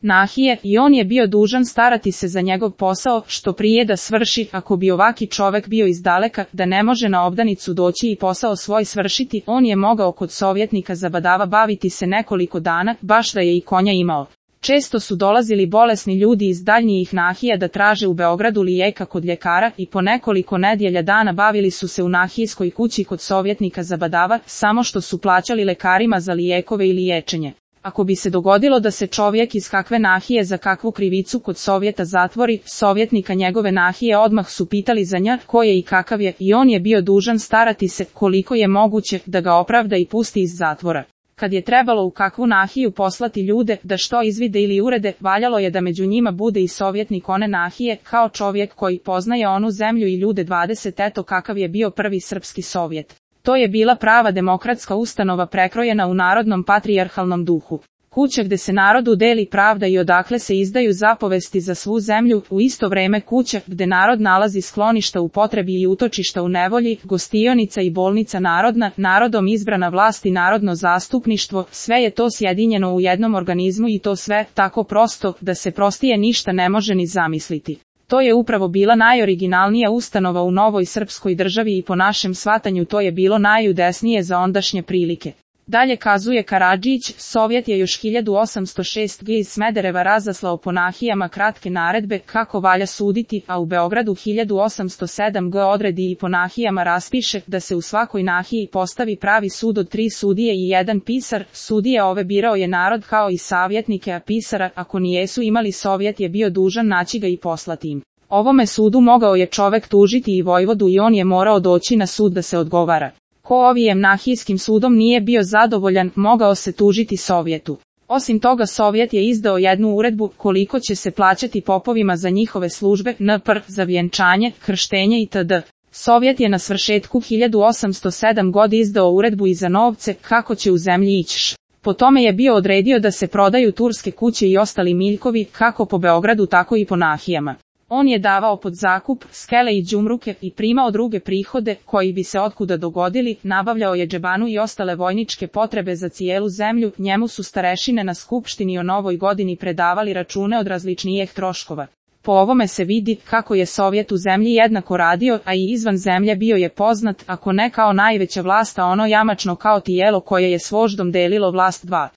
nahije i on je bio dužan starati se za njegov posao, što prije da svrši, ako bi ovaki čovek bio izdaleka, da ne može na obdanicu doći i posao svoj svršiti, on je mogao kod sovjetnika zabadava baviti se nekoliko dana, baš da je i konja imao. Često su dolazili bolesni ljudi iz daljnjih nahija da traže u Beogradu lijeka kod ljekara i po nekoliko nedjelja dana bavili su se u nahijskoj kući kod sovjetnika zabadava, samo što su plaćali lekarima za lijekove i liječenje. Ako bi se dogodilo da se čovjek iz kakve nahije za kakvu krivicu kod Sovjeta zatvori, sovjetnika njegove nahije odmah su pitali za nja ko je i kakav je i on je bio dužan starati se koliko je moguće da ga opravda i pusti iz zatvora. Kad je trebalo u kakvu nahiju poslati ljude da što izvide ili urede, valjalo je da među njima bude i sovjetnik one nahije, kao čovjek koji poznaje onu zemlju i ljude 20. Eto kakav je bio prvi srpski sovjet. To je bila prava demokratska ustanova prekrojena u narodnom patrijarhalnom duhu. Kuća gde se narodu deli pravda i odakle se izdaju zapovesti za svu zemlju, u isto vreme kuća gde narod nalazi skloništa u potrebi i utočišta u nevolji, gostionica i bolnica narodna, narodom izbrana vlast i narodno zastupništvo, sve je to sjedinjeno u jednom organizmu i to sve tako prosto da se prostije ništa ne može ni zamisliti. To je upravo bila najoriginalnija ustanova u novoj srpskoj državi i po našem shvatanju to je bilo najudesnije za ondašnje prilike. Dalje kazuje Karadžić, Sovjet je još 1806. iz Smedereva razaslao po nahijama kratke naredbe kako valja suditi, a u Beogradu 1807. odredi i po nahijama raspiše da se u svakoj nahiji postavi pravi sud od 3 sudije i 1 pisar. Sudije ove birao je narod kao i savjetnike, a pisara, ako nijesu imali Sovjet je bio dužan naći ga i poslati im. Ovome sudu mogao je čovek tužiti i vojvodu i on je morao doći na sud da se odgovara. Ko ovijem nahijskim sudom nije bio zadovoljan, mogao se tužiti Sovjetu. Osim toga Sovjet je izdao jednu uredbu koliko će se plaćati popovima za njihove službe, npr. za vjenčanje, krštenje itd. Sovjet je na svršetku 1807. izdao uredbu i za novce kako će u zemlji ići. Po tome je bio odredio da se prodaju turske kuće i ostali miljkovi, kako po Beogradu tako i po nahijama. On je davao pod zakup skele i đumruke i primao druge prihode koji bi se otkuda dogodili, nabavljao je džebanu i ostale vojničke potrebe za cijelu zemlju, njemu su starešine na skupštini o novoj godini predavali račune od različnijih troškova. Po ovome se vidi kako je Sovjet u zemlji jednako radio, a i izvan zemlje bio je poznat, ako ne kao najveća vlast, a ono jamačno kao tijelo koje je s voždom delilo vlast 2.